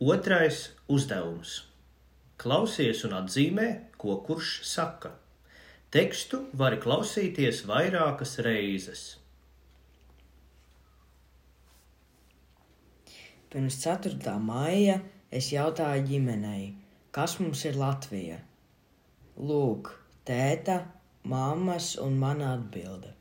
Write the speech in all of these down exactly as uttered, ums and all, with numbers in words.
Otrais uzdevums. Klausies un atzīmē, ko kurš saka. Tekstu vari klausīties vairākas reizes. Pirms ceturtā maija es jautāju ģimenei, kas mums ir Latvija. Lūk, tēta, mammas un mana atbilde.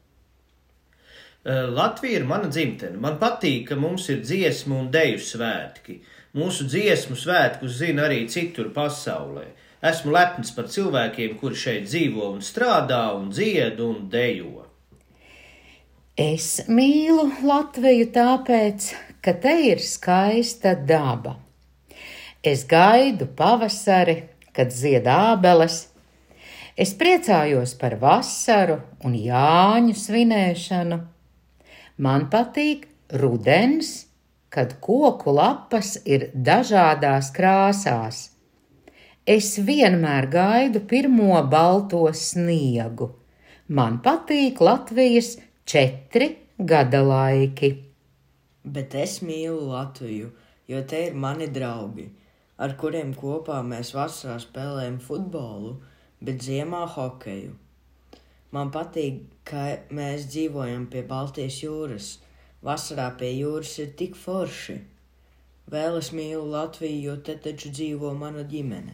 Latvija ir mana dzimtene. Man patīk, ka mums ir dziesmu un deju svētki. Mūsu dziesmu svētkus zina arī citur pasaulē. Esmu lepns par cilvēkiem, kuri šeit dzīvo un strādā un dzied un dejo. Es mīlu Latviju tāpēc, ka te ir skaista daba. Es gaidu pavasari, kad zied ābeles. Es priecājos par vasaru un Jāņu svinēšanu. Man patīk rudens, kad koku lapas ir dažādās krāsās. Es vienmēr gaidu pirmo balto sniegu. Man patīk Latvijas četri gada laiki. Bet es mīlu Latviju, jo te ir mani draugi, ar kuriem kopā mēs vasarā spēlējam futbolu, bet ziemā hokeju. Man patīk, ka mēs dzīvojam pie Baltijas jūras. Vasarā pie jūras ir tik forši. Vēl es mīlu Latviju, jo te taču dzīvo mana ģimene.